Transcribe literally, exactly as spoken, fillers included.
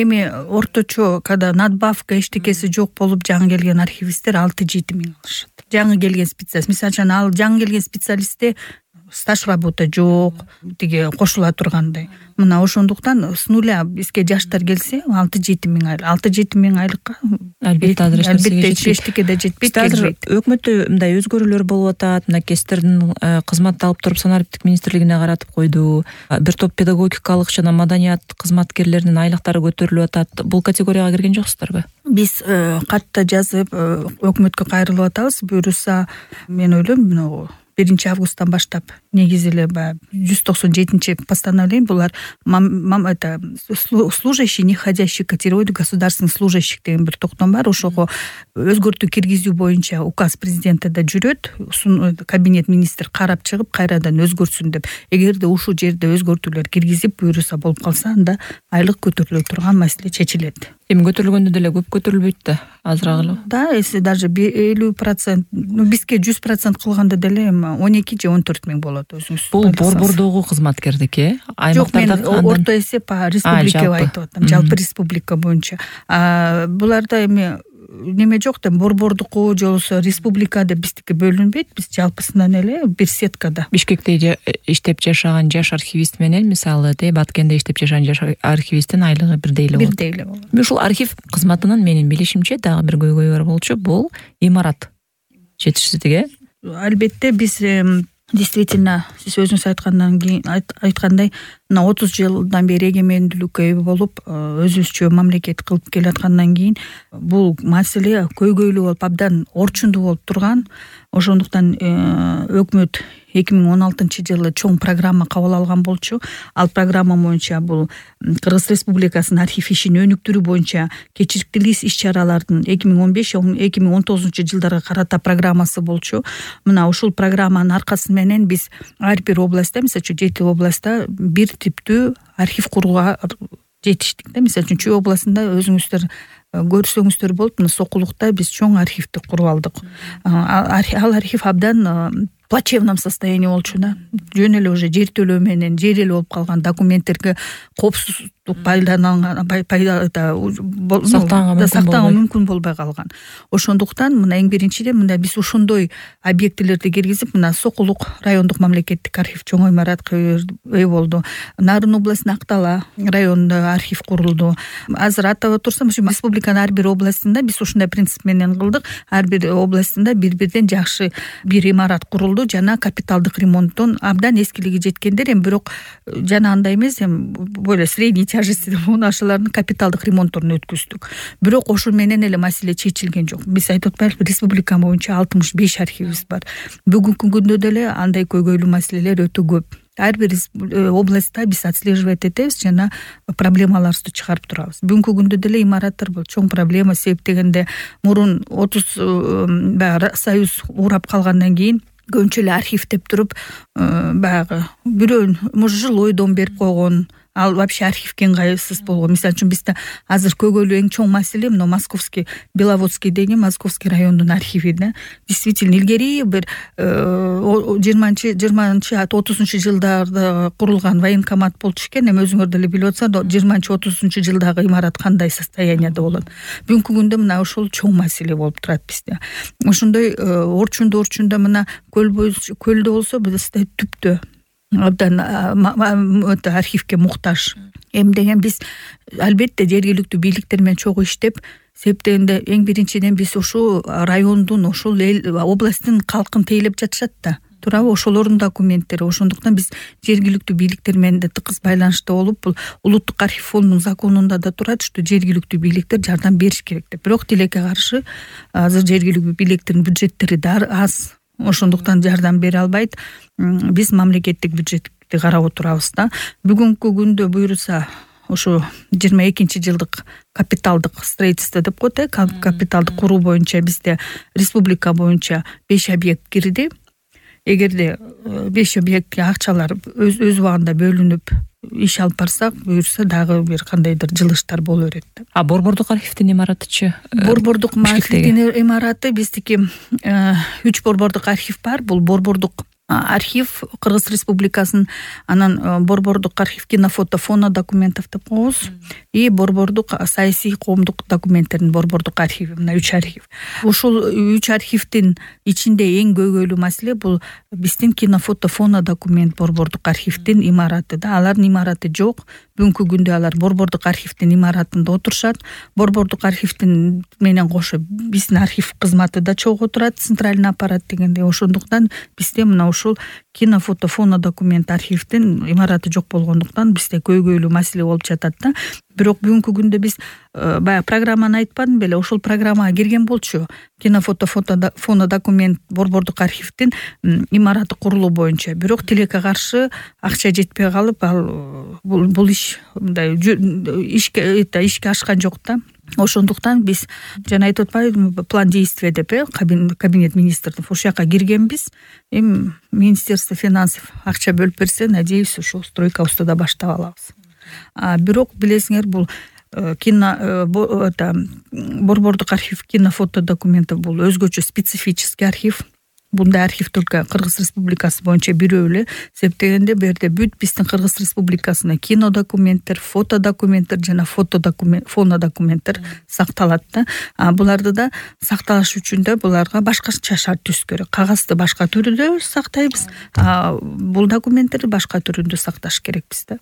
эми орточо когда надбавка эчтекеси жок болуп жаңы келген архивисттер алты жети миң алышат. Жаңы келген специалист, мисалы үчүн ал жаңы келген специалистте стаж работа жок, тиги кошула тургандай. Мына ошондуктан с нуля бизге жаштар келсе алты жети миң айлык. алты жети миң айлыкка албетте азыр албетте эчтеке да жетпейт. Азыр өкмөттө мындай өзгөрүүлөр болуп атат. Мына кестердин кызматты алып туруп санариптик министрлигине каратып койду. Бир топ педагогикалык жана маданият кызматкерлеринин айлыктары көтөрүлүп атат. Бул категорияга кирген жоксуздарбы? Биз катта жазып өкмөткө кайрылып атабыз. Буюрса мен ойлойм, биринчи августтан баштап негизи эле баягы жүз токсон жетинчи постановление булар это служащий, не входящий в категорию государственных служащих деген бир токтом бар. Ошого өзгөртүү киргизүү боюнча указ президентте жүрөт. Кабинет министр карап чыгып кайрадан өзгөрсүн деп. Эгерде ушул жерде өзгөртүүлөр киргизип буюрса болуп калса, анда айлык көтөрүлө турган маселе чечилет. Эми көтөрүлгөндө деле көп көтөрүлбөйт да, азыраак эле. Да, если даже элүү процент, ну бизге жүз процент кылганда деле он эки же он төрт миң болот өзүңүз. Бул борбордогу кызматкердики, аймактарда жок, мен орто эсеп республика айтып атам, жалпы республика боюнча. Буларда эми неме жок да, борбордуку же болбосо республика деп биздики бөлүнбөйт. Биз жалпысынан эле бир сеткада. Бишкекте иштеп жашаган жаш архивист менен мисалы Баткенде иштеп жашаган жаш архивисттин айлыгы бирдей эле болот. Бирдей эле болот. Ушул архив кызматынын менин билишимче дагы бир көйгөйү бар болчу, бул имарат жетишсиздиги. Албетте биз действительно сиз өзүңүз айткандан кийин айткандай, мына отуз жылдан бери эгемендүүлүккө ээ болуп, өзүбүзчө мамлекет кылып келаткандан кийин бул маселе көйгөйлүү болуп, абдан орчундуу болуп турган. Ошондуктан өкмөт эки миң он алтынчы жылы чоң программа кабыл алган болчу. Ал программа боюнча бул Кыргыз Республикасынын архив ишин өнүктүрүү боюнча кечирткилүү иш-чаралардын эки миң он беш эки миң он тогузунчу жылдарга карата программасы болчу. Мына ушул программанын аркасы менен биз ар бир областта, мисалы үчүн жети областта бир типтүү архив курууга жетиштик да. Мисалы үчүн Чүй областында өзүңүздөр көрсөңүздөр болот, мына Сокулукта биз чоң архивди куруп алдык. Ал архив абдан плачевном состоянии болчу да. Жөн эле уже жер төлөө менен жер эле болуп калган, документтерге коопсуздук пайдаланган, пайда сактаганга мүмкүн болбой калган. Ошондуктан мына эң биринчиден мында биз ошондой объектилерди киргизип, мына Сокулук райондук мамлекеттик архив чоң имаратка ээ болду. Нарын областынын Актала районунда архив курулду. Азыр атап турсам, республиканын ар бир областында биз ушундай принцип менен кылдык. Ар бир областында бир-бирден жакшы бир имарат курулду. Жана капиталдык ремонттон абдан эскилиги жеткендер, эми бирок жана андай эмес, эми более средний тяжести деп ошолордун капиталдык ремонтторун өткөздүк. Бирок ошол менен эле маселе чечилген жок. Биз айтып атпайлыбы, республика боюнча алтымыш беш архивибиз бар. Бүгүнкү күндө деле андай көйгөйлүү маселелер өтө көп. Ар бир областта биз отслеживать этебиз жана проблемаларыбызды чыгарып турабыз. Бүгүнкү күндө деле имараттар бул чоң проблема, себеп дегенде мурун отуз союз урап калгандан кийин көбүнчө эле архив деп туруп, баягы бирөөнүн может жилой дом берип койгон, ал вообще архивге ыңгайсыз болгон. Мисалы үчүн бизде азыр көйгөйлүү эң чоң маселе мына Московский, Беловодский деген Московский райондун архиви да. Действительно илгери бир жыйырманчы жыйырманчы отузунчу жылдарда курулган военкомат болчу экен. Эми өзүңөр деле билип атсаңар, жыйырманчы отузунчу жылдагы имарат кандай состоянияда болот. Бүгүнкү күндө мына ошол чоң маселе болуп турат бизде. Ошондой орчундуу орчундо мына көл көлдө болсо бизде түптө абдан архивке муктаж. Эми деген биз албетте жергиликтүү бийликтер менен чогуу иштеп, себеп дегенде эң биринчиден биз ошол райондун, ошол эл областтын калкын тейлеп жатышат да. Туурабы, ошолордун документтери. Ошондуктан биз жергиликтүү бийликтер менен да тыкыз байланышта болуп, бул улуттук архив фондунун законунда да турат, что жергиликтүү бийликтер жардам бериш керек деп. Бирок тилекке каршы азыр жергиликтүү бийликтердин бюджеттери да аз. Ошондуктан жардам бере албайт. Биз мамлекеттик бюджетти карап отурабыз да. Бүгүнкү күндө буйруса ошо жыйырма экинчи жылдык капиталдык строительство деп коет, капиталдык куруу боюнча бизде республика боюнча беш объект кирди. Эгерде беш объектке акчалар өз өз убагында бөлүнүп иш алып барсак, буюрса дагы бир кандайдыр жылыштар боло берет да. А борбордук архивдин имаратычы? Борбордук архивдин имараты биздики үч борбордук архив бар. Бул борбордук архив Кыргыз Республикасынын анан борбордук архив кинофото фоно документов деп коебуз и борбордук саясий коомдук документтердин борбордук архиви, мына үч архив. Ушул үч архивдин ичинде эң көйгөйлүү маселе бул биздин кинофото фоно документ борбордук архивдин имараты да. Алардын имараты жок. Бүгүнкү күндө алар борбордук архивдин имаратында отурушат. Борбордук архивдин менен кошо биздин архив кызматы да чогуу турат, центральный аппарат дегенде. Ошондуктан бизде мына ушул кинофото фоно документ архивдин имараты жок болгондуктан бизде көйгөйлүү маселе болуп жатат да. Бирок бүгүнкү күндө биз баягы программаны айтпадым беле, ошол программага кирген болчу. Кинофото фоно документ борбордук архивдин имараты курулуу боюнча. Бирок тилекке каршы акча жетпей калып, ал бул иш мындай ишке ишке ашкан жок да. Ошондуктан биз жана айтып атпайбызбы, план действия деп кабинет министрдин ошол жака киргенбиз. Эми Министерство финансов акча бөлүп берсе, надеюсь, ошол стройкабызды да баштап алабыз. А бирок билесиңер, бул кино борбордук архив кинофото документов бул өзгөчө специфический архив. Бундай архив только Кыргыз Республикасы боюнча бирөө эле. Себеп дегенде бу жерде бүт биздин Кыргыз Республикасына кино документтер, фото документтер жана фото документ, фоно документтер сакталат да. А буларды да сакталыш үчүн да буларга башкача шарт түзүш керек. Кагазды башка түрдө сактайбыз, а бул документтерди башка түрүндө сакташ керекпиз да.